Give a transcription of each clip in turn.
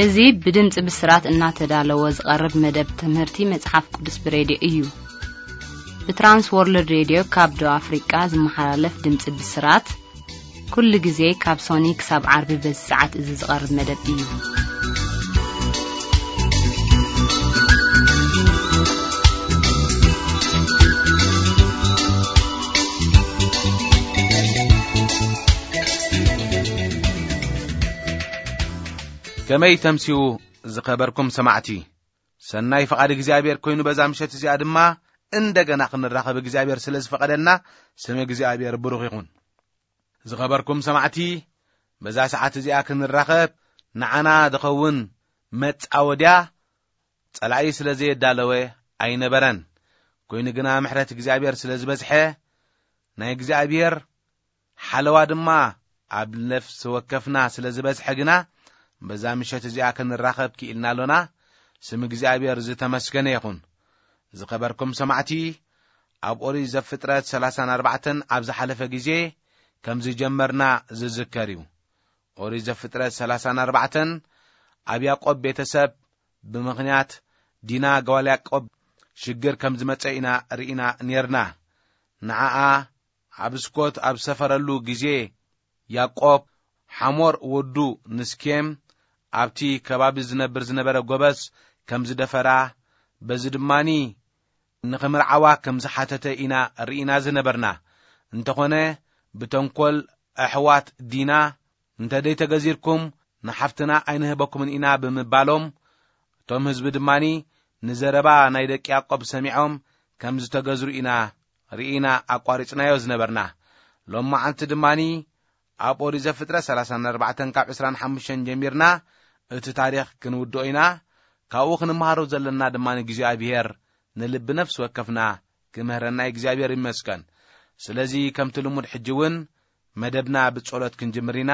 እዚ ብድምፂ ብስራት እናተዳለወ ዝቐርብ መደብ ትምህርቲ መጽሓፍ ቅዱስ ብሬድዮ እዩ። ብትራንስ ወርልድ ሬድዮ ካብ ደቡብ ኣፍሪቃ ዝመሓላለፍ ድምፂ ብስራት፣ ኩሉ ግዜ ካብ ሶኒ ክሳብ ዓርቢ በዚ ሰዓት እዚ ዝቐርብ መደብ እዩ። ከመይ ተምሲኡ ዝኸበርኩም ሰማዕቲ፣ ሰናይ ፍቓድ እግዚኣብሔር ኮይኑ በዛ ምሸት እዚኣ ድማ እንደገና ክንራኸብ እግዚኣብሔር ስለ ዝፈቐደልና ስም እግዚኣብሔር ብሩኽ ይኹን። ዝኸበርኩም ሰማዕቲ፣ በዛ ሰዓት እዚኣ ክንራኸብ ንዓና ዝኸውን መጻወድያ ጸላኢ ስለ ዘየዳለወ ኣይነበረን። ኮይኑ ግና ምሕረት እግዚኣብሔር ስለ ዝበዝሐ፣ ናይ እግዚኣብሔር ሓለዋ ድማ ኣብ ነፍሲ ወከፍና ስለ ዝበዝሐ ግና፣ በዛ ምሸት እዚኣ ክንራኸብ ክኢልና ኣሎና። ስም እግዚኣብሔር ዝተመስገነ ይኹን። ዝኸበርኩም ሰማዕቲ፣ ኣብ ኦሪት ዘፍጥረት ሰላሳን ኣርባዕተን ኣብ ዝሓለፈ ግዜ ከም ዝጀመርና ዝዝከር እዩ። ኦሪት ዘፍጥረት ሰላሳን ኣርባዕተን ኣብ ያዕቆብ ቤተሰብ ብምኽንያት ዲና ጓል ያዕቆብ ሽግር ከም ዝመጸ ኢና ርኢና ኔርና። ንዓኣ ኣብ ስኮት ኣብ ዝሰፈረሉ ግዜ፣ ያዕቆብ ሓሞር ወዱ ንስኬም ኣብቲ ከባቢ ዝነብር ዝነበረ ጎበዝ ከም ዝደፈራ፣ በዚ ድማኒ ንኽምርዓዋ ከም ዝሓተተ ኢና ርኢና ዝነበርና። እንተኾነ፣ ብተንኮል ኣሕዋት ዲና፣ "እንተ ደይተገዚርኩም ንሓፍትና ኣይንህበኩምን ኢና" ብምባሎም፣ እቶም ህዝቢ ድማኒ ንዘረባ ናይ ደቂ ያዕቆብ ሰሚዖም ከም ዝተገዝሩ ኢና ርኢና ኣቋሪጽናዮ ዝነበርና። ሎም መዓልቲ ድማኒ ኣብ ኦሪት ዘፍጥረት ሰላሳን ኣርባዕተን ካብ ዕስራን ሓሙሽተን ጀሚርና እቲ ታሪኽ ክንውድኦ ኢና። ካብኡ ክንመሃሮ ዘለና ድማ ንእግዚኣብሔር ንልቢ ነፍሲ ወከፍና ክምህረና እግዚኣብሔር ይመስገን። ስለዚ ከምቲ ልሙድ ሕጂ እውን መደብና ብጸሎት ክንጅምር ኢና።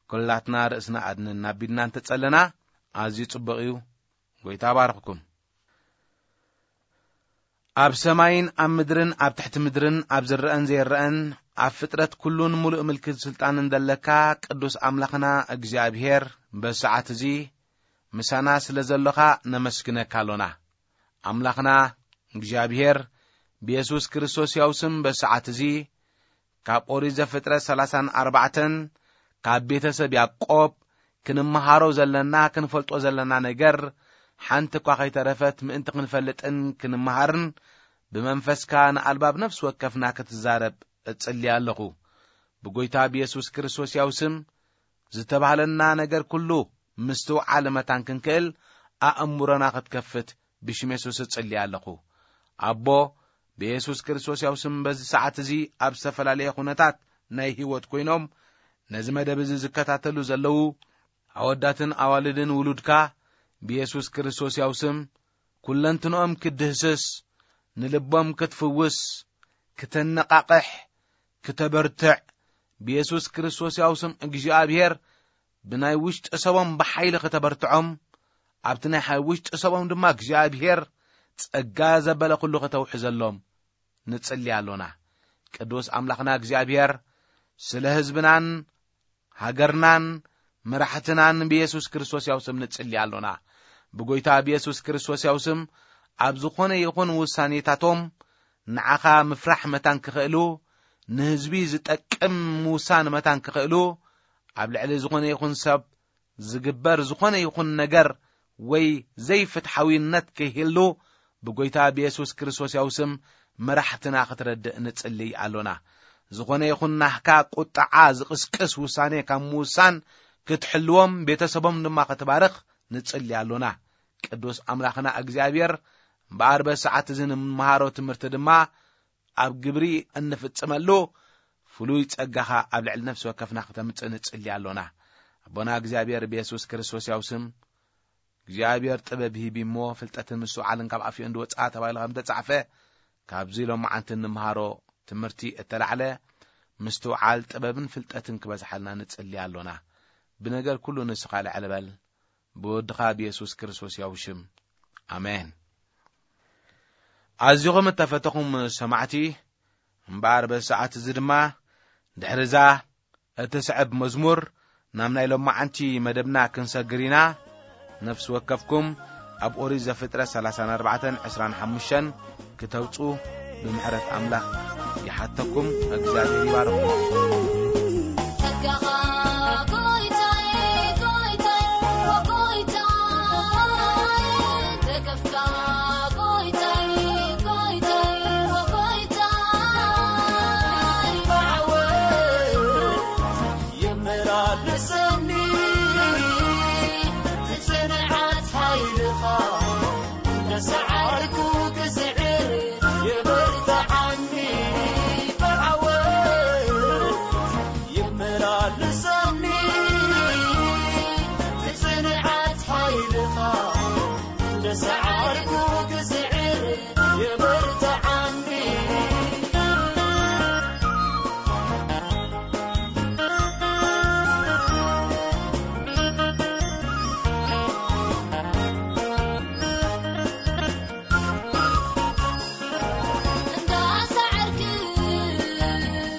ኩላትና ርእስና ኣድንን ኣቢልና እንተጸለና ኣዝዩ ጽቡቕ እዩ። ጎይታ ባርኽኩም። ኣብ ሰማይን ኣብ ምድርን ኣብ ትሕቲ ምድርን ኣብ ዝረአን ዘይረአን ኣብ ፍጥረት ኩሉን ሙሉእ ምልክት ስልጣንን ዘለካ ቅዱስ ኣምላኽና እግዚኣብሔር በዚ ሰዓት እዚ ምሳና ስለ ዘሎኻ ነመስግነካ ኣሎና። ኣምላኽና እግዚኣብሔር ብየሱስ ክርስቶስ ያው ስም በዚ ሰዓት እዚ ካብ ኦሪት ዘፍጥረት ሰላሳን ኣርባዕተን ካብ ቤተሰብ ያዕቆብ ክንመሃሮ ዘለና ክንፈልጦ ዘለና ነገር ሓንቲ እኳ ከይተረፈት ምእንቲ ክንፈልጥን ክንመሃርን ብመንፈስካ ንኣልባብ ነፍሲ ወከፍና ክትዛረብ እጽሊ ኣለኹ። ብጎይታ ብየሱስ ክርስቶስ ያው ስም ዝተባህለና ነገር ኩሉ ምስትውዓል መታን ክንክእል ኣእምሮና ክትከፍት ብሽም የሱስ እጽሊ ኣለኹ። ኣቦ፣ ብየሱስ ክርስቶስ ያው ስም በዚ ሰዓት እዚ ኣብ ዝተፈላለየ ኩነታት ናይ ህይወት ኮይኖም ነዚ መደብ እዚ ዝከታተሉ ዘለዉ ኣወዳትን ኣዋልድን ውሉድካ ብየሱስ ክርስቶስ ያው ስም ኩለንትንኦም ክትድህስስ፣ ንልቦም ክትፍውስ፣ ክተነቃቕሕ፣ ክተበርትዕ፣ ብየሱስ ክርስቶስ ያው ስም እግዚኣብሔር ብናይ ውሽጢ ሰቦም ብሓይሊ ክተበርትዖም፣ ኣብቲ ናይ ሓይ ውሽጢ ሰቦም ድማ እግዚኣብሔር ጸጋ ዘበለ ኩሉ ከተውሕዘሎም ንጽሊ ኣሎና። ቅዱስ ኣምላኽና እግዚኣብሔር ስለ ህዝብናን ሃገርናን መራሕትናን ብየሱስ ክርስቶስ ያው ስም ንጽሊ ኣሎና። ብጎይታ ብየሱስ ክርስቶስ ያው ስም ኣብ ዝኾነ ይኹን ውሳኔታቶም ንዓኻ ምፍራሕ መታን ክኽእሉ፣ ንህዝቢ ዝጠቅም ምውሳን መታን ክኽእሉ፣ ኣብ ልዕሊ ዝኾነ ይኹን ሰብ ዝግበር ዝኾነ ይኹን ነገር ወይ ዘይፍትሓዊነት ከይህሉ ብጎይታ ብየሱስ ክርስቶስ ያው ስም መራሕትና ክትረድእ ንጽልይ ኣሎና። ዝኾነ ይኹን ናህካ ቁጥዓ ዝቕስቅስ ውሳኔ ካብ ምውሳን ክትሕልዎም፣ ቤተሰቦም ድማ ክትባርኽ ንጽልይ ኣሎና። ቅዱስ ኣምላኽና እግዚኣብሔር እምበኣር በዚ ሰዓት እዚ ንምሃሮ ትምህርቲ ድማ ኣብ ግብሪ እንፍጽመሉ ፍሉይ ጸጋኻ ኣብ ልዕሊ ነፍሲ ወከፍና ክተምጽእ ንጽሊ ኣሎና። ኣቦና እግዚኣብሔር ብየሱስ ክርስቶስ ያው ስም እግዚኣብሔር ጥበብ ሂብ እሞ ፍልጠትን ምስትውዓልን ካብ ኣፍዮ እንድወጽኣ ተባሂሉ ከም ተጻሕፈ፣ ካብዚ ሎማዓንቲ እንምሃሮ ትምህርቲ እተላዕለ ምስትውዓል ጥበብን ፍልጠትን ክበዝሓልና ንጽሊ ኣሎና። ብነገር ኩሉ ንስኻ ልዕል በል። ብወድኻ ብየሱስ ክርስቶስ ያው ሽም። ኣሜን። ኣዚኹም እተፈተኹም ሰማዕቲ፣ እምበኣር በዚ ሰዓት እዚ ድማ ድሕሪዛ እትስዕብ መዝሙር ናብ ናይ ሎማዓንቲ መደብና ክንሰግር ኢና። ነፍሲ ወከፍኩም ኣብ ኦሪት ዘፍጥረት ሠላሳን ኣርባዕተን ዕስራን ሓሙሽተን ክተውጹ ብምሕረት ኣምላኽ ይሓተኩም። እግዚኣብሔር ይባርኩም። ጸጋኻ ጎይታይ፣ ጎይታይ፣ ጎይታይ፣ ደገፍካ ጎይታይ፣ ጎይታይ፣ ጎይታይ፣ ብዓወት ይመላለሰኒ ጽንዓት ሓይልኻ፣ እንዳሰዓርኩ ክስዕር የበርትዓኒ። ብዓወት ይመላለሰኒ ጽንዓት ሓይልኻ፣ እንዳሰዓርኩ ክስዕር የበርትዓኒ። እንዳሰዓርኩ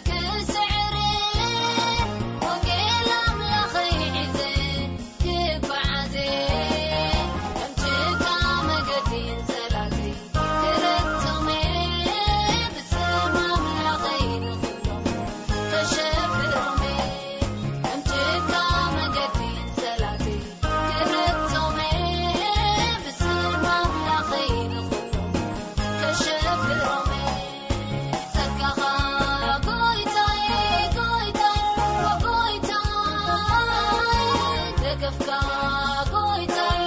ክስዕር ወንጌል ኣምላኸይ ሒዘ ክጓዓዝ፣ ከም ጭቃ መገዲ ጸላእተይ ክረግጾም፣ ብስም ኣምላኸይ ንኹሎም ከሸብሮም፣ ከም ጭቃ መገዲ ጸላእተይ ክረግጾም፣ ብስም ኣምላኸይ ንኹሎም ከሸብሮም። ጸጋኻ ጎይታይ፣ ጎይታይ፣ ጎይታይ፣ ደገፍካ ጎይታይ፣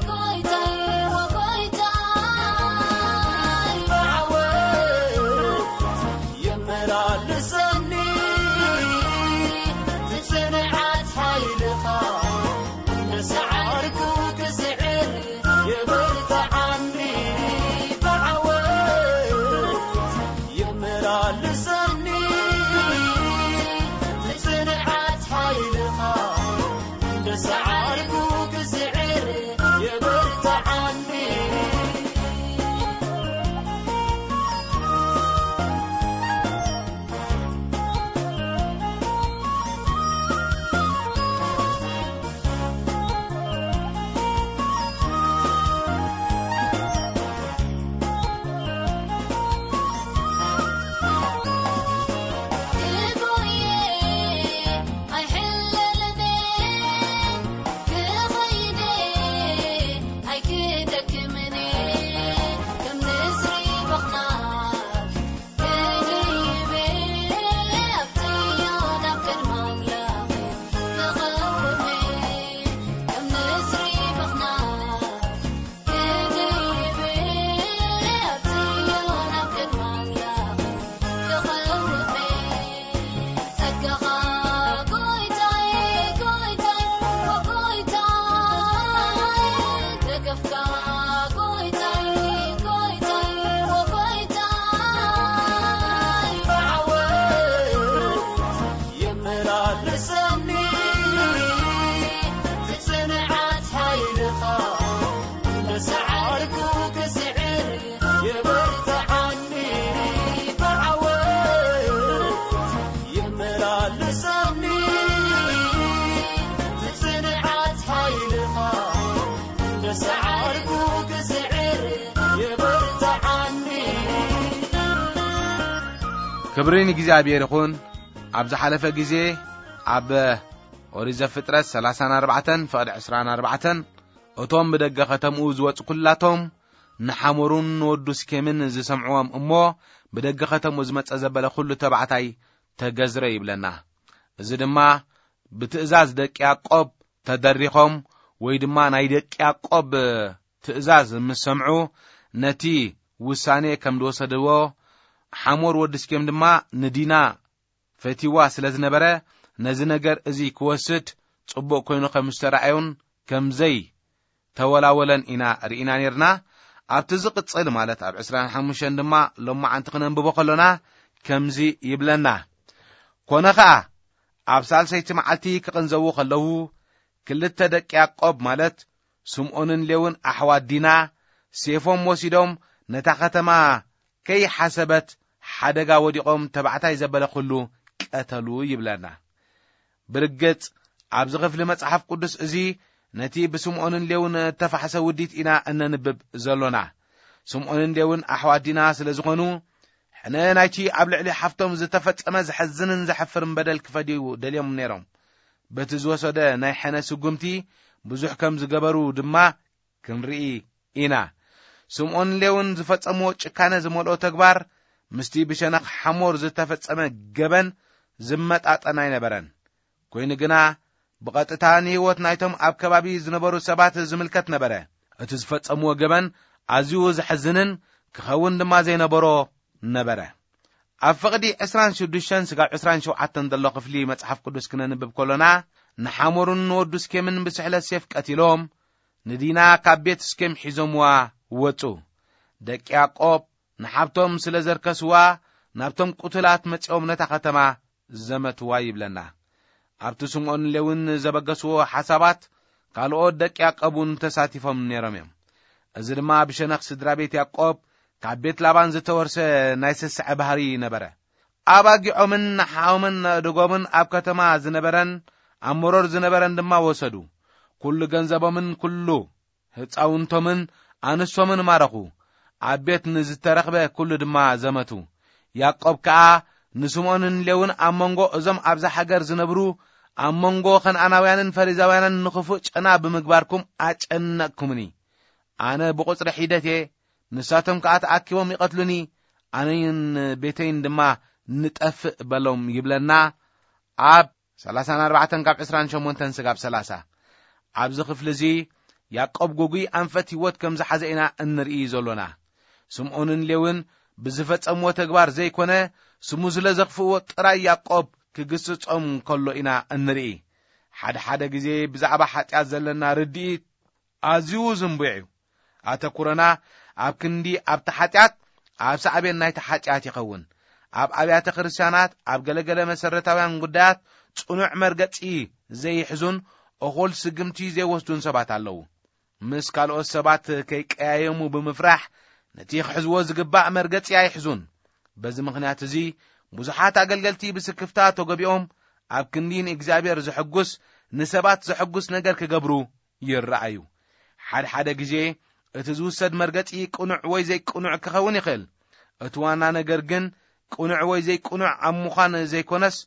ጎይታይ፣ ጎይታይ፣ ብዓወት የመላልሰኒ ብጽንዓት ሓይልኻ፣ እንዳሰዓርኩ ክስዕር የበርትዓኒ። ብዓወት የመላልሰኒ ብጽንዓት ሓይልኻ፣ እንዳሰዓርኩ ክስዕር የበርትዓኒ። ጸጋኻ ጎይታይ፣ ጎይታይ፣ ጎይታይ፣ ደገፍካ ጎይታይ፣ ጎይታይ፣ ጎይታይ፣ ብዓወት የመላልሰኒ ብጽንዓት ሓይልኻ፣ እንዳሰዓርኩ ክስዕር የበርትዓኒ። ብዓወት የመላልሰኒ ብጽንዓት ሓይልኻ፣ እንዳሰዓርኩ ክስዕር የበርትዓኒ። ክብሪ ንእግዚኣብሔር ይኹን። ኣብ ዝሓለፈ ግዜ ኣብ ኦሪት ዘፍጥረት ሠላሳን ኣርባዕተን ፍቕዲ ዕስራን ኣርባዕተን፣ እቶም ብደገ ኸተምኡ ዝወጹ ኲላቶም ንሓሞሩን ንወዱ ስኬምን ዝሰምዕዎም እሞ፣ ብደገ ኸተምኡ ዝመጸ ዘበለ ኹሉ ተባዕታይ ተገዝረ ይብለና። እዚ ድማ ብትእዛዝ ደቂ ያዕቆብ ተደሪኾም፣ ወይ ድማ ናይ ደቂ ያዕቆብ ትእዛዝ ምስ ሰምዑ፣ ነቲ ውሳኔ ከም ዝወሰድዎ፣ ሓሞር ወዲ ስኬም ድማ ንዲና ፈቲዋ ስለ ዝነበረ፣ ነዚ ነገር እዚ ክወስድ ጽቡቕ ኮይኑ ከም ዝተራእዮን ከም ዘይተወላወለን ኢና ርኢና ኔርና። ኣብቲ ዝቕጽል፣ ማለት ኣብ ዕስራን ሓሙሽተን ድማ ሎማዓንቲ ክነንብቦ ከሎና ከምዚ ይብለና። ኮነ ኸኣ፣ ኣብ ሳልሰይቲ መዓልቲ ክቕንዘዉ ከለዉ፣ ክልተ ደቂ ያዕቆብ፣ ማለት ስምዖንን ሌውን ኣሕዋት ዲና፣ ሴፎም ወሲዶም ነታ ኸተማ ከይሓሰበት ሓደጋ ወዲቖም ተባዕታይ ዘበለ ኹሉ ቀተሉ ይብለና። ብርግጽ ኣብዚ ኽፍሊ መጽሓፍ ቅዱስ እዚ ነቲ ብስምዖንን ሌውን እተፋሕሰ ውዲት ኢና እነንብብ ዘሎና። ስምዖንን ሌውን ኣሕዋት ዲና ስለ ዝኾኑ፣ ሕነ ናይቲ ኣብ ልዕሊ ሓፍቶም ዝተፈጸመ ዘሐዝንን ዘሐፍርን በደል ክፈድዩ ደልዮም ነይሮም። በቲ ዝወሰደ ናይ ሕነ ስጉምቲ ብዙሕ ከም ዝገበሩ ድማ ክንርኢ ኢና። ስምዖንን ሌውን ዝፈጸምዎ ጭካነ ዝመልኦ ተግባር ምስቲ ብሸነኽ ሓሞር ዝተፈጸመ ገበን ዝመጣጠን ኣይነበረን። ኮይኑ ግና፣ ብቐጥታ ንህይወት ናይቶም ኣብ ከባቢ ዝነበሩ ሰባት ዝምልከት ነበረ። እቲ ዝፈጸምዎ ገበን ኣዝዩ ዘሕዝንን ክኸውን ድማ ዘይነበሮ ነበረ። ኣብ ፍቕዲ ዕስራን ሽዱሽተን ስጋብ ዕስራን ሸውዓተን ዘሎ ክፍሊ መጽሓፍ ቅዱስ ክነንብብ ከሎና፣ ንሓሞርን ንወዱ ስኬምን ብስሕለት ሴፍ ቀቲሎም፣ ንዲና ካብ ቤት ስኬም ሒዞምዋ ወጹ። ደቂ ያዕቆብ ንሓብቶም ስለ ዘርከስዋ፣ ናብቶም ቅቱላት መጺኦም ነታ ከተማ ዘመትዋ ይብለና። ኣብቲ ስምዖን ሌውን ዘበገስዎ ሓሳባት ካልኦት ደቂ ያዕቆብ እውን ተሳቲፎም ነይሮም እዮም። እዚ ድማ ብሸነኽ ስድራ ቤት ያዕቆብ ካብ ቤት ላባን ዝተወርሰ ናይ ስስዐ ባህሪ ነበረ። ኣባጊዖምን ንሓኦምን ኣእድጎምን ኣብ ከተማ ዝነበረን ኣብ መሮር ዝነበረን ድማ ወሰዱ። ኩሉ ገንዘቦምን ኩሉ ህጻውንቶምን ኣንስቶምን ማረኹ። ኣብ ቤት ንዝተረኽበ ኩሉ ድማ ዘመቱ። ያዕቆብ ከኣ ንስምዖንን ሌውን ኣብ መንጎ እዞም ኣብዛ ሃገር ዝነብሩ፣ ኣብ መንጎ ከነኣናውያንን ፈሪዛውያንን ንኽፉእ ጨና ብምግባርኩም ኣጨነቕኩምኒ። ኣነ ብቑጽሪ ሒደት እየ፣ ንሳቶም ከኣ ተኣኪቦም ይቐትሉኒ፣ ኣነይን ቤተይን ድማ ንጠፍእ በሎም ይብለና። ኣብ ሰላሳን ኣርባዕተን ካብ ዕስራን ሸሞንተን ስጋብ ሰላሳ። ኣብዚ ክፍሊ እዚ ያዕቆብ ግጉይ ኣንፈት ህይወት ከም ዝሓዘ ኢና እንርኢ ዘሎና። ስምዖንን ሌውን ብዝፈጸምዎ ተግባር ዘይኮነ፣ ስሙ ስለ ዘኽፍእዎ ጥራይ ያዕቆብ ክግስጾም ከሎ ኢና እንርኢ። ሓደ ሓደ ግዜ ብዛዕባ ሓጢኣት ዘለና ርድኢት ኣዝዩ ዝንቡዕ እዩ። ኣተኩሮና ኣብ ክንዲ ኣብቲ ሓጢኣት፣ ኣብ ሳዕቤን ናይቲ ሓጢኣት ይኸውን። ኣብ ኣብያተ ክርስቲያናት፣ ኣብ ገለገለ መሰረታውያን ጉዳያት ጽኑዕ መርገጺ ዘይሕዙን እኹል ስግምቲ ዘይወስዱን ሰባት ኣለዉ። ምስ ካልኦት ሰባት ከይቀያየሙ ብምፍራሕ፣ ነቲ ክሕዝዎ ዝግባእ መርገጺ ኣይሕዙን። በዚ ምኽንያት እዚ፣ ብዙሓት ኣገልገልቲ ብስክፍታ ተጎቢኦም፣ ኣብ ክንዲ ንእግዚኣብሔር ዘሐጉስ፣ ንሰባት ዘሐጉስ ነገር ክገብሩ ይረኣዩ። ሓደ ሓደ ግዜ እቲ ዝውሰድ መርገጺ ቅኑዕ ወይ ዘይቅኑዕ ክኸውን ይኽእል። እቲ ዋና ነገር ግን ቅኑዕ ወይ ዘይቅኑዕ ኣብ ምዃን ዘይኮነስ፣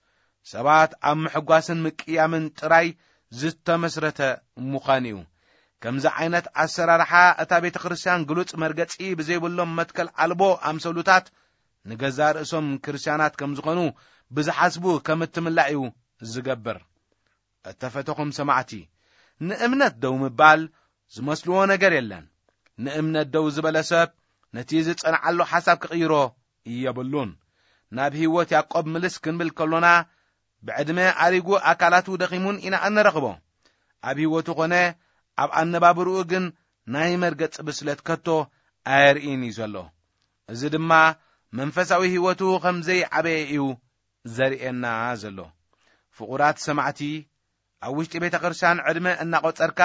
ሰባት ኣብ ምሕጓስን ምቅያምን ጥራይ ዝተመስረተ ምዃን እዩ። ከምዚ ዓይነት ኣሰራርሓ እታ ቤተ ክርስቲያን ግሉጽ መርገጺ ብዘይብሎም መትከል ኣልቦ ኣምሰሉታት ንገዛእ ርእሶም ክርስቲያናት ከም ዝኾኑ ብዝሓስቡ ከም እትምላእ እዩ ዝገብር። እተፈተኹም ሰማዕቲ፣ ንእምነት ደው ምባል ዝመስልዎ ነገር የለን። ንእምነት ደው ዝበለ ሰብ ነቲ ዝጸንዓሉ ሓሳብ ክቕይሮ የብሉን። ናብ ህይወት ያዕቆብ ምልስ ክንብል ከሎና፣ ብዕድመ ኣሪጉ ኣካላቱ ደኺሙን ኢና እንረኽቦ። ኣብ ህይወቱ ኾነ ኣብ ኣነባብርኡ ግን ናይ መርገጽ ብስለት ከቶ ኣየርእይን እዩ ዘሎ። እዚ ድማ መንፈሳዊ ህይወቱ ከም ዘይዓበየ እዩ ዘርእየና ዘሎ። ፍቑራት ሰማዕቲ፣ ኣብ ውሽጢ ቤተ ክርስቲያን ዕድመ እናቖጸርካ፣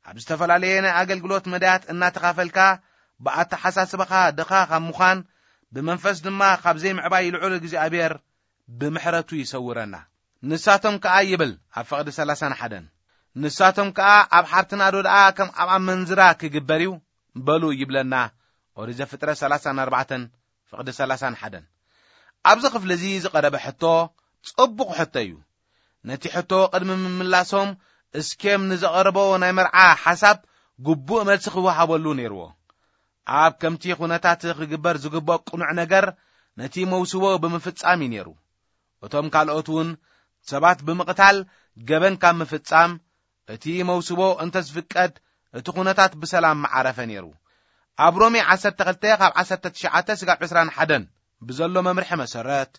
ኣብ ዝተፈላለየ ናይ ኣገልግሎት መዳያት እናተኻፈልካ፣ ብኣተሓሳስባኻ ድኻ ካብ ምዃን፣ ብመንፈስ ድማ ካብ ዘይምዕባይ ልዑል እግዚኣብሔር ብምሕረቱ ይሰውረና። ንሳቶም ከኣ ይብል ኣብ ፍቕዲ ሰላሳን ሓደን፣ ንሳቶም ከኣ ኣብ ሓርትና ዶ ደኣ ከም ኣብ ኣመንዝራ ክግበር እዩ በሉ ይብለና። ኦሪት ዘፍጥረት ሰላሳን ኣርባዕተን ፍቕዲ ሰላሳን ሓደን። ኣብዚ ክፍሊ እዚ ዝቐረበ ሕቶ ጽቡቕ ሕቶ እዩ። ነቲ ሕቶ ቅድሚ ምምላሶም እስኬም ንዘቐረቦ ናይ መርዓ ሓሳብ ግቡእ መልሲ ክወሃበሉ ነይርዎ። ኣብ ከምቲ ኩነታት ክግበር ዝግብኦ ቅኑዕ ነገር ነቲ መውስቦ ብምፍጻም እዩ ነይሩ። እቶም ካልኦት እውን ሰባት ብምቕታል ገበን ካብ ምፍጻም እቲ መውስቦ እንተ ዝፍቀድ እቲ ኩነታት ብሰላም ምዓረፈ ነይሩ። ኣብ ሮሜ ዓሰርተ ክልተ ካብ ዓሰርተ ትሽዓተ ስጋብ ዕስራን ሓደን ብዘሎ መምርሒ መሰረት፣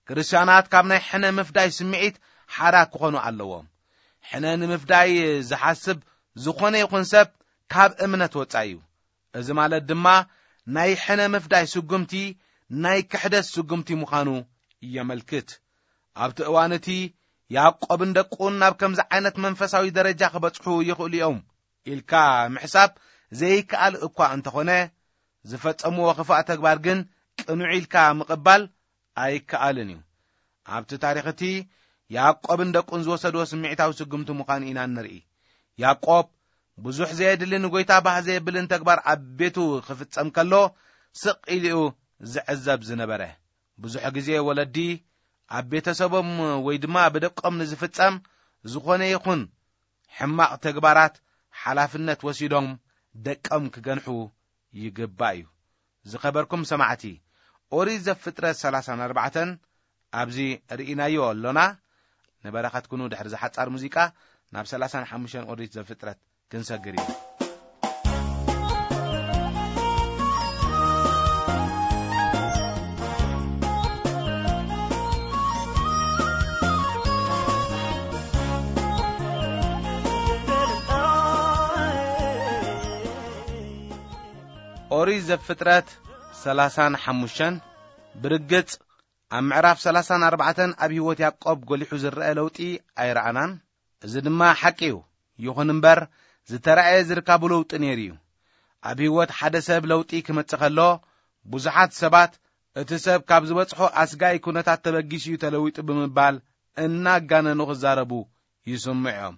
ክርስትያናት ካብ ናይ ሕነ ምፍዳይ ስምዒት ሓራ ክኾኑ ኣለዎም። ሕነ ንምፍዳይ ዝሓስብ ዝኾነ ይኹን ሰብ ካብ እምነት ወጻኢ እዩ። እዚ ማለት ድማ ናይ ሕነ ምፍዳይ ስጉምቲ ናይ ክሕደት ስጉምቲ ምዃኑ የመልክት። ኣብቲ እዋን እቲ ያዕቆብን ደቁን ናብ ከምዚ ዓይነት መንፈሳዊ ደረጃ ክበጽሑ ይኽእሉ እዮም ኢልካ ምሕሳብ ዘይከኣል እኳ እንተኾነ፣ ዝፈጸምዎ ክፋእ ተግባር ግን ቅኑዕ ኢልካ ምቕባል ኣይከኣልን እዩ። ኣብቲ ታሪኽ እቲ ያዕቆብን ደቁን ዝወሰድዎ ስምዒታዊ ስጉምቲ ምዃኑ ኢና እንርኢ። ያዕቆብ ብዙሕ ዘየድሊ ንጎይታ ባህ ዘየብልን ተግባር ኣብ ቤቱ ክፍጸም ከሎ ስቕ ኢሉ እዩ ዝዕዘብ ዝነበረ። ብዙሕ ግዜ ወለዲ ኣብ ቤተሰቦም ወይ ድማ ብደቆም ንዝፍጸም ዝኾነ ይኹን ሕማቕ ተግባራት ሓላፍነት ወሲዶም ደቆም ክገንሑ ይግባእ እዩ። ዝኸበርኩም ሰማዕቲ፣ ኦሪት ዘፍጥረት ሰላሳን ኣርባዕተን ኣብዚ ርኢናዮ ኣሎና። ንበረኸት ኩኑ። ድሕሪ ዝሓጻር ሙዚቃ ናብ ሰላሳን ሓሙሽተን ኦሪት ዘፍጥረት ክንሰግር እዩ። ኦሪት ዘፍጥረት ሰላሳን ሓሙሽተን። ብርግጽ ኣብ ምዕራፍ ሰላሳን ኣርባዕተን ኣብ ህይወት ያዕቆብ ጎሊሑ ዝረአ ለውጢ ኣይረኣናን። እዚ ድማ ሓቂ እዩ። ይኹን እምበር፣ ዝተራእየ ዝርካቡ ለውጢ ነይሩ እዩ። ኣብ ህይወት ሓደ ሰብ ለውጢ ክመጽእ ከሎ፣ ብዙሓት ሰባት እቲ ሰብ ካብ ዝበጽሖ ኣስጋኢ ኩነታት ተበጊሱ እዩ ተለዊጡ ብምባል እናጋነኑ ክዛረቡ ይስምዑ እዮም።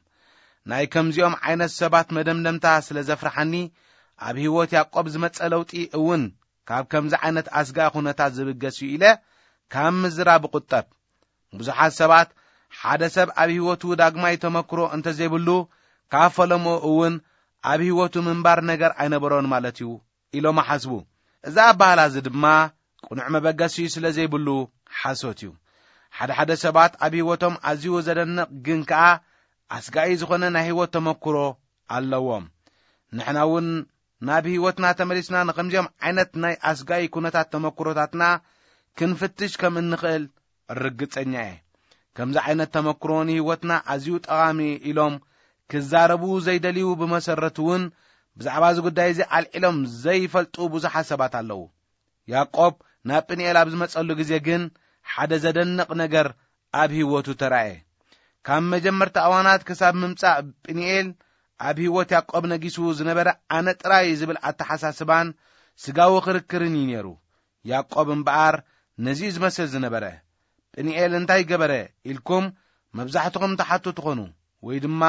ናይ ከምዚኦም ዓይነት ሰባት መደምደምታ ስለ ዘፍርሓኒ፣ ኣብ ህይወት ያዕቆብ ዝመጸ ለውጢ እውን ካብ ከምዚ ዓይነት ኣስጋኢ ኩነታት ዝብገስ እዩ ኢለ ካብ ምዝራብ እቁጠብ። ብዙሓት ሰባት ሓደ ሰብ ኣብ ህይወቱ ዳግማይ ተመክሮ እንተዘይብሉ፣ ካብ ፈለምኡ እውን ኣብ ህይወቱ ምንባር ነገር ኣይነበሮን ማለት እዩ ኢሎም ይሓስቡ። እዚ ኣባህላ እዚ ድማ ቅኑዕ መበገሲ ስለ ዘይብሉ ሓሶት እዩ። ሓደ ሓደ ሰባት ኣብ ህይወቶም ኣዝዩ ዘደንቕ ግን ከኣ ኣስጋኢ ዝኾነ ናይ ህይወት ተመክሮ ኣለዎም። ንሕና እውን ናብ ህይወትና ተመሊስና ንኸምዚኦም ዓይነት ናይ ኣስጋኢ ኩነታት ተመክሮታትና ክንፍትሽ ከም እንኽእል ርግጸኛ እየ። ከምዚ ዓይነት ተመክሮ ንህይወትና ኣዝዩ ጠቓሚ ኢሎም ክዛረቡ ዘይደልዩ፣ ብመሰረቱ እውን ብዛዕባ እዚ ጉዳይ እዚ ኣልዒሎም ዘይፈልጡ ብዙሓት ሰባት ኣለዉ። ያዕቆብ ናብ ጵንኤል ኣብ ዝመጸሉ ግዜ ግን ሓደ ዘደንቕ ነገር ኣብ ህይወቱ ተራእየ። ካብ መጀመርታ እዋናት ክሳብ ምምጻእ ጵንኤል ኣብ ህይወት ያዕቆብ ነጊሱ ዝነበረ ኣነ ጥራይ ዝብል ኣተሓሳስባን ስጋዊ ክርክርን እዩ ነይሩ። ያዕቆብ እምበኣር ነዚ እዩ ዝመስል ዝነበረ። ጵንኤል እንታይ ገበረ ኢልኩም መብዛሕትኹም ትሓቱ ትኾኑ፣ ወይ ድማ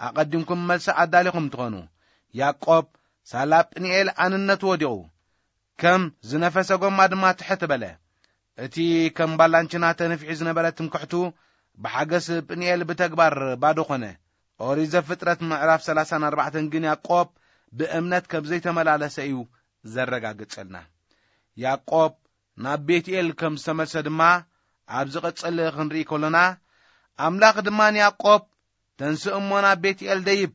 ኣቐዲምኩም መልሲ ኣዳሊኹም ትኾኑ። ያዕቆብ ሳላ ጵንኤል ኣንነቱ ወዲቑ፣ ከም ዝነፈሰ ጎማ ድማ ትሕት በለ። እቲ ከም ባላንችና ተነፊሑ ዝነበረ ትምክሕቱ ብሓገስ ጵንኤል ብተግባር ባዶ ኾነ። ኦሪት ዘፍጥረት ምዕራፍ ሰላሳን ኣርባዕተን ግን ያዕቆብ ብእምነት ከም ዘይተመላለሰ እዩ ዘረጋግጸልና። ያዕቆብ ናብ ቤትኤል ከም ዝተመልሰ ድማ ኣብ ዝቕጽል ክንርኢ ከሎና፣ ኣምላኽ ድማ ንያዕቆብ፣ "ተንስእ እሞ ናብ ቤትኤል ደይብ፣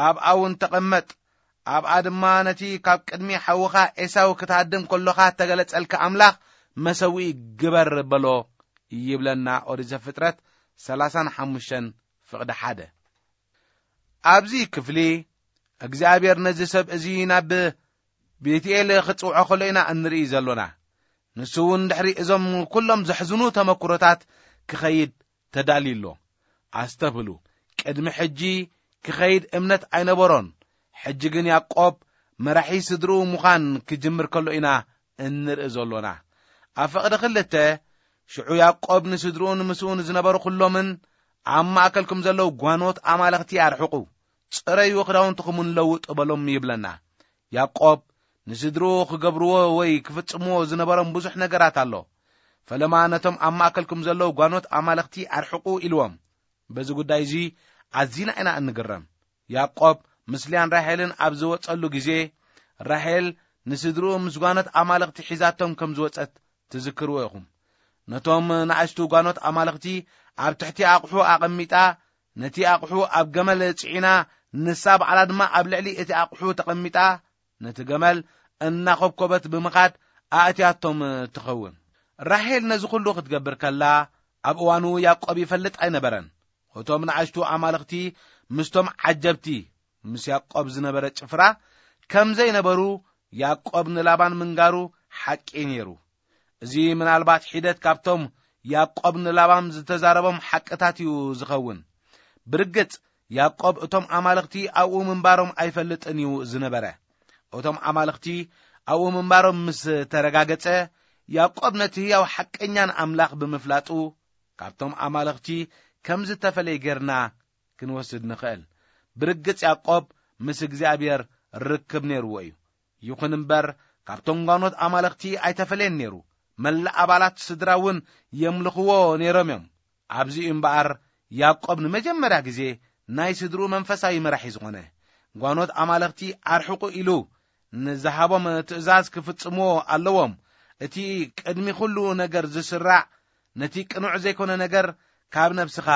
ኣብኣ እውን ተቐመጥ፣ ኣብኣ ድማ ነቲ ካብ ቅድሚ ሓውኻ ኤሳው ክትሃድም ከሎኻ እተገለጸልካ ኣምላኽ መሰውኢ ግበር" በሎ ይብለና ኦሪት ዘፍጥረት ሰላሳን ሓሙሽተን ፍቕዲ ሓደ። ኣብዚ ክፍሊ እግዚኣብሔር ነዚ ሰብ እዚ ናብ ቤትኤል ክጽውዖ ከሎ ኢና እንርኢ ዘሎና። ንሱ እውን ድሕሪ እዞም ኩሎም ዘሕዝኑ ተመክሮታት ክኸይድ ተዳልዩ ኣሎ። ኣስተብህሉ፣ ቅድሚ ሕጂ ክኸይድ እምነት ኣይነበሮን። ሕጂ ግን ያዕቆብ መራሒ ስድርኡ ምዃን ክጅምር ከሎ ኢና እንርኢ ዘሎና። ኣብ ፍቕዲ ክልተ፣ ሽዑ ያዕቆብ ንስድርኡን ምስኡ ንዝነበሩ ኩሎምን፣ "ኣብ ማእከልኩም ዘለዉ ጓኖት ኣማልኽቲ ኣርሕቑ፣ ጽረዩ፣ ክዳውንትኹም እውን ለውጡ" በሎም ይብለና። ያዕቆብ ንስድርኡ ክገብርዎ ወይ ክፍጽምዎ ዝነበሮም ብዙሕ ነገራት ኣሎ። ፈለማ ነቶም ኣብ ማእከልኩም ዘለዉ ጓኖት ኣማልኽቲ ኣርሕቑ ኢልዎም። በዚ ጉዳይ እዚ ኣዚና ኢና እንግረም። ያዕቆብ ምስ ልያን ራሄልን ኣብ ዝወጸሉ ግዜ፣ ራሄል ንስድርኡ ምስ ጓኖት ኣማልኽቲ ሒዛቶም ከም ዝወጸት ትዝክርዎ ኢኹም። ነቶም ንኣሽቱ ጓኖት ኣማልኽቲ ኣብ ትሕቲ ኣቕሑ ኣቐሚጣ፣ ነቲ ኣቕሑ ኣብ ገመል ጽዒና፣ ንሳ ባዕላ ድማ ኣብ ልዕሊ እቲ ኣቕሑ ተቐሚጣ፣ ነቲ ገመል እናኾብኮበት ብምኻድ ኣእትያቶም ትኸውን። ራሄል ነዚ ኹሉ ክትገብር ከላ፣ ኣብ እዋኑ ያዕቆብ ይፈልጥ ኣይነበረን። እቶም ንኣሽቱ ኣማልኽቲ ምስቶም ዓጀብቲ፣ ምስ ያዕቆብ ዝነበረ ጭፍራ፣ ከም ዘይነበሩ ያዕቆብ ንላባን ምንጋሩ ሓቂ ነይሩ። እዚ ምናልባት ሒደት ካብቶም ያዕቆብ ንላባን ዝተዛረቦም ሓቅታት እዩ ዝኸውን። ብርግጽ፣ ያዕቆብ እቶም ኣማልኽቲ ኣብኡ ምንባሮም ኣይፈልጥን እዩ ዝነበረ። እቶም ኣማልኽቲ ኣብኡ ምንባሮም ምስ ተረጋገጸ፣ ያዕቆብ ነቲ ህያው ሓቀኛን ኣምላኽ ብምፍላጡ፣ ካብቶም ኣማልኽቲ ከም ዝተፈለየ ጌርና ክንወስድ ንኽእል። ብርግጽ ያዕቆብ ምስ እግዚኣብሔር ርክብ ነይርዎ እዩ። ይኹን እምበር፣ ካብቶም ጓኖት ኣማልኽቲ ኣይተፈለየን ነይሩ። መላእ ኣባላት ስድራ እውን የምልኽዎ ነይሮም እዮም። ኣብዚ እዩ እምበኣር ያዕቆብ ንመጀመርያ ግዜ ናይ ስድርኡ መንፈሳዊ መራሒ ዝኾነ። ጓኖት ኣማልኽቲ ኣርሕቑ ኢሉ ንዝሃቦም ትእዛዝ ክፍጽምዎ ኣለዎም። እቲ ቅድሚ ኩሉ ነገር ዝስራዕ፣ ነቲ ቅኑዕ ዘይኮነ ነገር ካብ ነብስኻ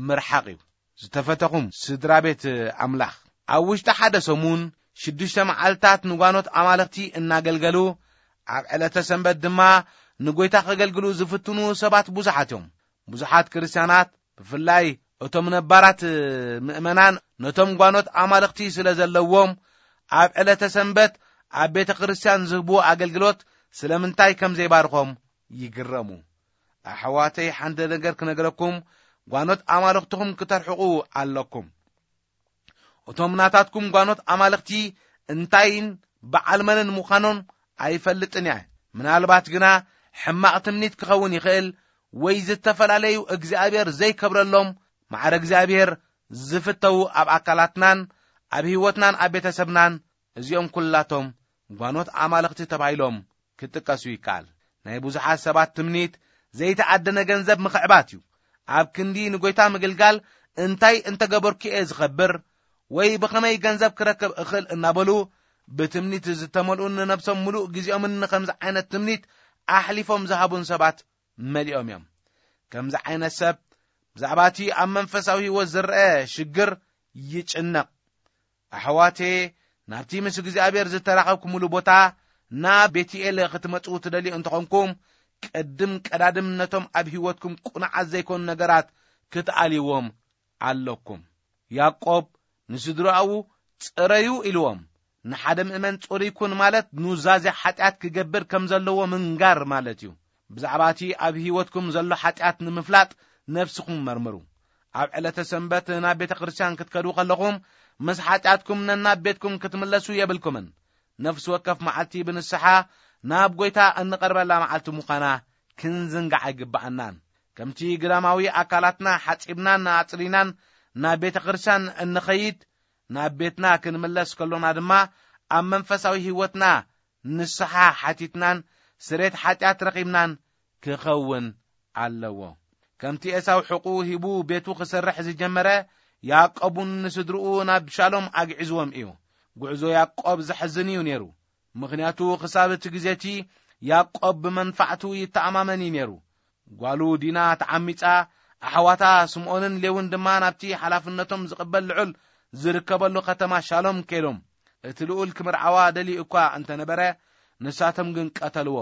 ምርሓቕ እዩ። ዝተፈተኹም ስድራ ቤት ኣምላኽ፣ ኣብ ውሽጢ ሓደ ሰሙን ሽዱሽተ መዓልታት ንጓኖት ኣማልኽቲ እናገልገሉ፣ ኣብ ዕለተ ሰንበት ድማ ንጎይታ ከገልግሉ ዝፍትኑ ሰባት ብዙሓት እዮም። ብዙሓት ክርስትያናት፣ ብፍላይ እቶም ነባራት ምእመናን፣ ነቶም ጓኖት ኣማልኽቲ ስለ ዘለዎም፣ ኣብ ዕለተ ሰንበት ኣብ ቤተ ክርስቲያን ዝህብዎ ኣገልግሎት ስለምንታይ ከም ዘይባርኾም ይግረሙ። ኣሕዋተይ፣ ሓንቲ ነገር ክነግረኩም፣ ጓኖት ኣማልኽትኹም ክተርሕቑ ኣለኩም። እቶም ናታትኩም ጓኖት ኣማልኽቲ እንታይን በዓል መንን ምዃኖም ኣይፈልጥን እየ። ምናልባት ግና ሕማቕ ትምኒት ክኸውን ይኽእል፣ ወይ ዝተፈላለዩ እግዚኣብሔር ዘይከብረሎም፣ ማዕረ እግዚኣብሔር ዝፍተዉ ኣብ ኣካላትናን ኣብ ህይወትናን ኣብ ቤተሰብናን፣ እዚኦም ኩላቶም ጓኖት ኣማልኽቲ ተባሂሎም ክጥቀሱ ይከኣል። ናይ ብዙሓት ሰባት ትምኒት ዘይተኣደነ ገንዘብ ምኽዕባት እዩ። ኣብ ክንዲ ንጎይታ ምግልጋል እንታይ እንተገበርኩ እየ ዝኸብር፣ ወይ ብኸመይ ገንዘብ ክረክብ እኽእል እናበሉ ብትምኒት ዝተመልኡን ንነብሶም ምሉእ ግዜኦምን ንኸምዚ ዓይነት ትምኒት ኣሕሊፎም ዝሃቡን ሰባት መሊኦም እዮም። ከምዚ ዓይነት ሰብ ብዛዕባ እቲ ኣብ መንፈሳዊ ህይወት ዝረአ ሽግር ይጭነቕ። ኣሕዋቴ፣ ናብቲ ምስ እግዚኣብሔር ዝተራኸብኩምሉ ቦታ ናብ ቤትኤል ክትመጽኡ ትደልዩ እንተኾንኩም፣ ቅድም ቀዳድም ነቶም ኣብ ህይወትኩም ቁኑዓት ዘይኮኑ ነገራት ክትኣልይዎም ኣለኩም። ያዕቆብ ንስድራኡ ጽረዩ ኢልዎም። ንሓደ ምእመን ጽሩይ ኩን ማለት ኑዛዜ ሓጢኣት ክገብር ከም ዘለዎ ምንጋር ማለት እዩ። ብዛዕባ እቲ ኣብ ህይወትኩም ዘሎ ሓጢኣት ንምፍላጥ ነፍስኹም መርምሩ። ኣብ ዕለተ ሰንበት ናብ ቤተ ክርስቲያን ክትከዱ ከለኹም፣ ምስ ሓጢኣትኩም ነናብ ቤትኩም ክትምለሱ የብልኩምን። ነፍሲ ወከፍ መዓልቲ ብንስሓ ናብ ጎይታ እንቐርበላ መዓልቲ ምዃና ክንዝንጋዕ ኣይግብኣናን። ከምቲ ግዳማዊ ኣካላትና ሓጺብናን ኣጽሪናን ናብ ቤተ ክርስቲያን እንኸይድ፣ ናብ ቤትና ክንምለስ ከሎና ድማ ኣብ መንፈሳዊ ህይወትና ንስሓ ሓቲትናን ስሬት ሓጢኣት ረኺብናን ክኸውን ኣለዎ። ከምቲ ኤሳው ሕቑ ሂቡ ቤቱ ክሰርሕ ዝጀመረ፣ ያዕቆብ እውን ንስድርኡ ናብ ሻሎም ኣግዒዝዎም እዩ። ጉዕዞ ያዕቆብ ዘሕዝን እዩ ነይሩ። ምኽንያቱ ክሳብ እቲ ግዜ እቲ ያዕቆብ ብመንፋዕቱ ይተኣማመን እዩ ነይሩ። ጓሉ ዲና ተዓሚጻ፣ ኣሕዋታ ስምኦንን ሌውን ድማ ናብቲ ሓላፍነቶም ዝቕበል ልዑል ዝርከበሉ ከተማ ሻሎም ከይዶም። እቲ ልኡል ክምርዓዋ ደልዩ እኳ እንተነበረ፣ ንሳቶም ግን ቀተልዎ።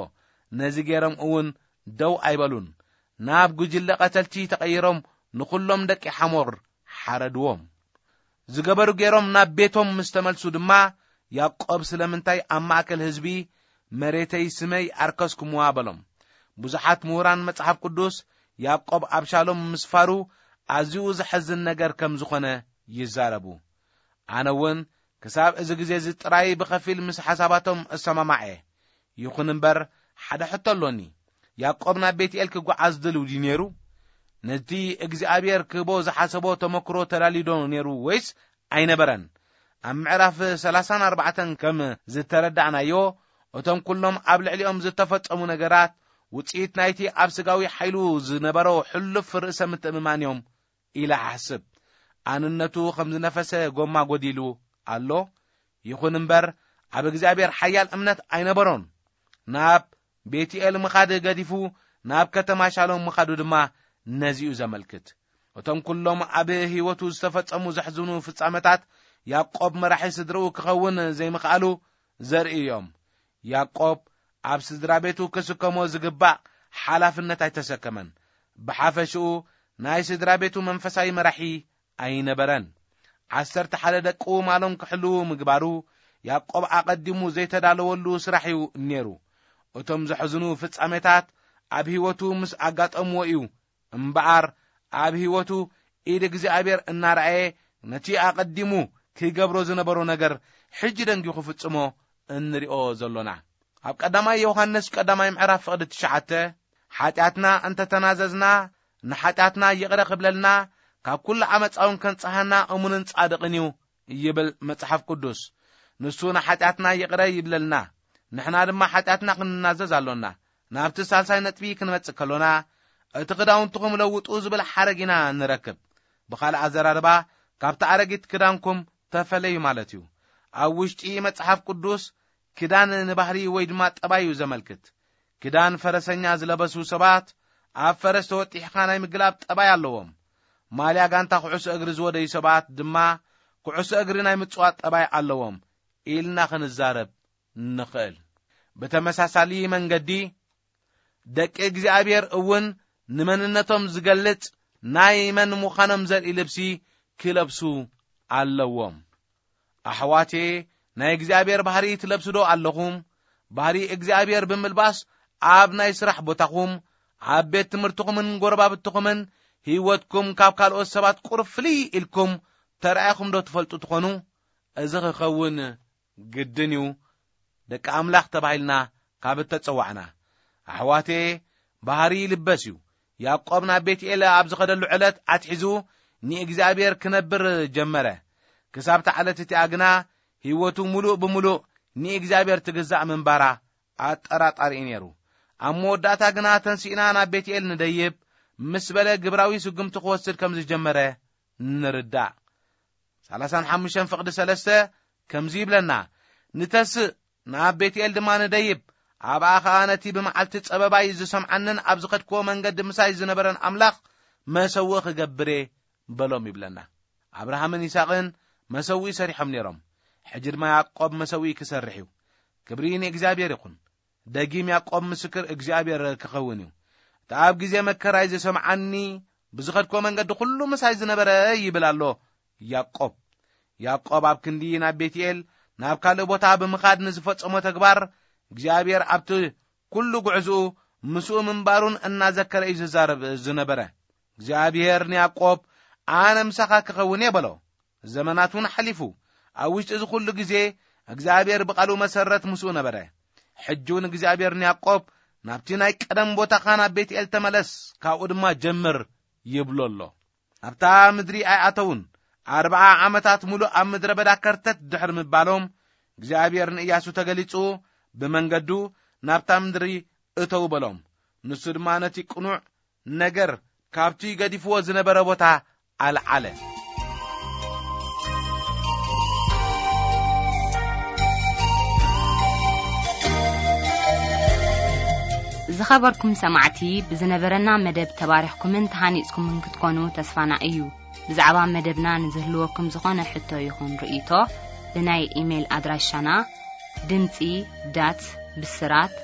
ነዚ ገይሮም እውን ደው ኣይበሉን። ናብ ጉጅለ ቀተልቲ ተቐይሮም ንኹሎም ደቂ ሓሞር ሓረድዎም። ዝገበሩ ገይሮም ናብ ቤቶም ምስ ተመልሱ ድማ፣ ያዕቆብ ስለምንታይ ኣብ ማእከል ህዝቢ መሬተይ ስመይ ኣርከስኩምዋ በሎም። ብዙሓት ምሁራን መጽሓፍ ቅዱስ ያዕቆብ ኣብ ሻሎም ምስፋሩ ኣዝዩ ዘሐዝን ነገር ከም ዝኾነ ይዛረቡ። ኣነ እውን ክሳብ እዚ ግዜ እዚ ጥራይ ብኸፊል ምስ ሓሳባቶም እሰማማዕ እየ። ይኹን እምበር፣ ሓደ ሕቶ ኣሎኒ። ያዕቆብ ናብ ቤትኤል ክጓዓዝ ድልው ድዩ ነይሩ? ነቲ እግዚኣብሔር ክህቦ ዝሓሰቦ ተመክሮ ተዳልዩ ዶ ነይሩ ወይስ ኣይነበረን? ኣብ ምዕራፍ ሰላሳን ኣርባዕተን ከም ዝተረዳእናዮ፣ እቶም ኩሎም ኣብ ልዕሊኦም ዝተፈጸሙ ነገራት ውጽኢት ናይቲ ኣብ ስጋዊ ሓይሉ ዝነበሮ ሕሉፍ ርእሰ ምትእምማን እዮም ኢለ እሓስብ። ኣንነቱ ከም ዝነፈሰ ጎማ ጎዲሉ ኣሎ። ይኹን እምበር፣ ኣብ እግዚኣብሔር ሓያል እምነት ኣይነበሮን። ናብ ቤትኤል ምኻድ ገዲፉ ናብ ከተማ ሻሎም ምኻዱ ድማ ነዚኡ ዘመልክት። እቶም ኩሎም ኣብ ህይወቱ ዝተፈጸሙ ዘሕዝኑ ፍጻመታት፣ ያዕቆብ መራሒ ስድርኡ ክኸውን ዘይምኽኣሉ ዘርኢ እዮም። ያዕቆብ ኣብ ስድራ ቤቱ ክስከሞ ዝግባእ ሓላፍነት ኣይተሰከመን። ብሓፈሽኡ፣ ናይ ስድራ ቤቱ መንፈሳዊ መራሒ ኣይነበረን። ዓሰርተ ሓደ ደቁ ማሎም ክሕልዉ ምግባሩ፣ ያዕቆብ ኣቐዲሙ ዘይተዳለወሉ ስራሕ እዩ ነይሩ። እቶም ዘሕዝኑ ፍጻሜታት ኣብ ህይወቱ ምስ ኣጋጠምዎ እዩ እምበኣር፣ ኣብ ህይወቱ ኢድ እግዚኣብሔር እናረኣየ፣ ነቲ ኣቐዲሙ ክገብሮ ዝነበሮ ነገር ሕጂ ደንጊ ክፍጽሞ እንሪኦ ዘሎና። ኣብ ቀዳማይ ዮሃንስ ቀዳማይ ምዕራፍ ፍቕዲ ትሽዓተ፣ "ሓጢኣትና እንተተናዘዝና፣ ንሓጢኣትና ይቕረ ክብለልና፣ ካብ ኩሉ ዓመጻ እውን ከንጽሃና እሙንን ጻድቕን እዩ ይብል መጽሓፍ ቅዱስ። ንሱ ንሓጢኣትና ይቕረ ይብለልና፣ ንሕና ድማ ሓጢኣትና ክንናዘዝ ኣሎና። ናብቲ ሳልሳይ ነጥቢ ክንመጽእ ከሎና፣ እቲ ክዳውንትኹም ለውጡ ዝብል ሓረግ ኢና ንረክብ። ብኻልእ ኣዘራርባ፣ ካብቲ ኣረጊት ክዳንኩም ተፈለዩ ማለት እዩ። ኣብ ውሽጢ መጽሓፍ ቅዱስ፣ ክዳን ንባህሪ ወይ ድማ ጠባይ እዩ ዘመልክት። ክዳን ፈረሰኛ ዝለበሱ ሰባት፣ ኣብ ፈረስ ተወጢሕካ ናይ ምግላብ ጠባይ ኣለዎም። ማልያ ጋንታ ኩዕሶ እግሪ ዝወደዩ ሰባት ድማ፣ ኩዕሶ እግሪ ናይ ምጽዋት ጠባይ ኣለዎም ኢልና ክንዛረብ ንኽእል። ብተመሳሳሊ መንገዲ፣ ደቂ እግዚኣብሔር እውን ንመንነቶም ዝገልጽ ናይ መን ምዃኖም ዘርኢ ልብሲ ክለብሱ ኣለዎም። ኣሕዋቴ፣ ናይ እግዚኣብሔር ባህሪ ትለብሱ ዶ ኣለኹም? ባህሪ እግዚኣብሔር ብምልባስ፣ ኣብ ናይ ስራሕ ቦታኹም፣ ኣብ ቤት ትምህርትኹምን ጎረባብትኹምን፣ ህይወትኩም ካብ ካልኦት ሰባት ቁሩብ ፍልይ ኢልኩም ተራኢኹም ዶ ትፈልጡ ትኾኑ? እዚ ክኸውን ግድን እዩ፣ ደቂ ኣምላኽ ተባሂልና ካብ እተጸዋዕና። ኣሕዋቴ፣ ባህሪ ይልበስ እዩ። ያዕቆብ ናብ ቤትኤል ኣብ ዝኸደሉ ዕለት ኣትሒዙ ንእግዚኣብሔር ክነብር ጀመረ። ክሳብ እታ ዕለት እቲኣ ግና ህይወቱ ምሉእ ብምሉእ ንእግዚኣብሔር ትግዛእ ምንባራ ኣጠራጣሪ እዩ ነይሩ። ኣብ መወዳእታ ግና ተንሲእና ናብ ቤትኤል ንደይብ ምስ በለ ግብራዊ ስጉምቲ ክወስድ ከም ዝጀመረ ንርዳእ። ሰላሳን ሓሙሽተን ፍቕዲ ሰለስተ ከምዚ ይብለና፣ ንተስእ፣ ናብ ቤትኤል ድማ ንደይብ፣ ኣብኣ ኸኣ ነቲ ብመዓልቲ ጸበባይ ዝሰምዓንን ኣብ ዝኸድክዎ መንገዲ ምሳይ ዝነበረን ኣምላኽ መሰውኢ ክገብር እየ በሎም ይብለና። ኣብርሃምን ይስሐቅን መሰውኢ ሰሪሖም ነይሮም። ሕጂ ድማ ያዕቆብ መሰውኢ ክሰርሕ እዩ። ክብሪ ንእግዚኣብሔር ይኹን። ደጊም ያዕቆብ ምስክር እግዚኣብሔር ክኸውን እዩ። እቲ ኣብ ግዜ መከራይ ዝሰምዓኒ፣ ብዝኸድክዎ መንገዲ ኩሉ ምሳይ ዝነበረ ይብል ኣሎ ያዕቆብ። ያዕቆብ ኣብ ክንዲ ናብ ቤትኤል፣ ናብ ካልእ ቦታ ብምኻድ ንዝፈጸሞ ተግባር፣ እግዚኣብሔር ኣብቲ ኩሉ ጉዕዝኡ ምስኡ ምንባሩን እናዘከረ እዩ ዝዛረብ ዝነበረ። እግዚኣብሔር ንያዕቆብ፣ "ኣነ ምሳኻ ክኸውን እየ" በሎ። ዘመናት እውን ሓሊፉ። ኣብ ውሽጢ እዚ ኩሉ ግዜ እግዚኣብሔር ብቓሉ መሰረት ምስኡ ነበረ። ሕጂ እውን እግዚኣብሔር ንያዕቆብ፣ "ናብቲ ናይ ቀደም ቦታኻ ናብ ቤትኤል ተመለስ፣ ካብኡ ድማ ጀምር" ይብሎ ኣሎ። ኣብታ ምድሪ ኣይኣተውን። ኣርብዓ ዓመታት ሙሉእ ኣብ ምድረ በዳ ከርተት ድሕሪ ምባሎም፣ እግዚኣብሔር ንእያሱ ተገሊጹ፣ ብመንገዱ ናብታ ምድሪ እተው በሎም። ንሱ ድማ ነቲ ቅኑዕ ነገር ካብቲ ገዲፍዎ ዝነበረ ቦታ ኣልዓለ። ዝኸበርኩም ሰማዕቲ፣ ብዝነበረና መደብ ተባሪኽኩምን ተሃኒጽኩምን ክትኮኑ ተስፋና እዩ። ብዛዕባ መደብና ንዝህልወኩም ዝኾነ ሕቶ ይኹን ርእይቶ፣ ብናይ ኢሜይል ኣድራሻና ድምጺ ዳት ብስራት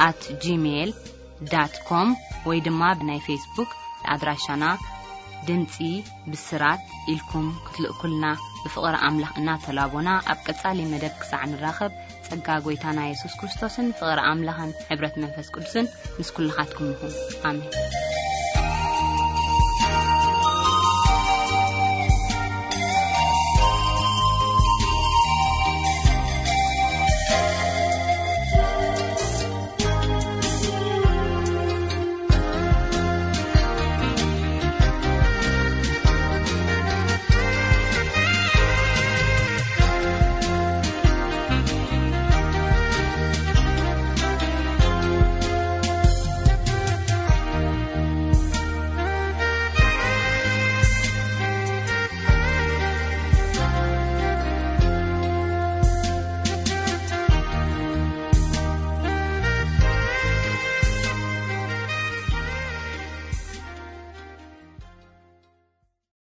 ኣት ጂሜይል ዳት ኮም ወይ ድማ ብናይ ፌስቡክ ኣድራሻና ድምጺ ብስራት ኢልኩም ክትልእኩልና ብፍቕሪ ኣምላኽ እናተላቦና፣ ኣብ ቀጻሊ መደብ ክሳዕ ንራኸብ፣ ጸጋ ጐይታና የሱስ ክርስቶስን ፍቕሪ ኣምላኽን ሕብረት መንፈስ ቅዱስን ምስ ኩልኻትኩም ይኹን። ኣሜን።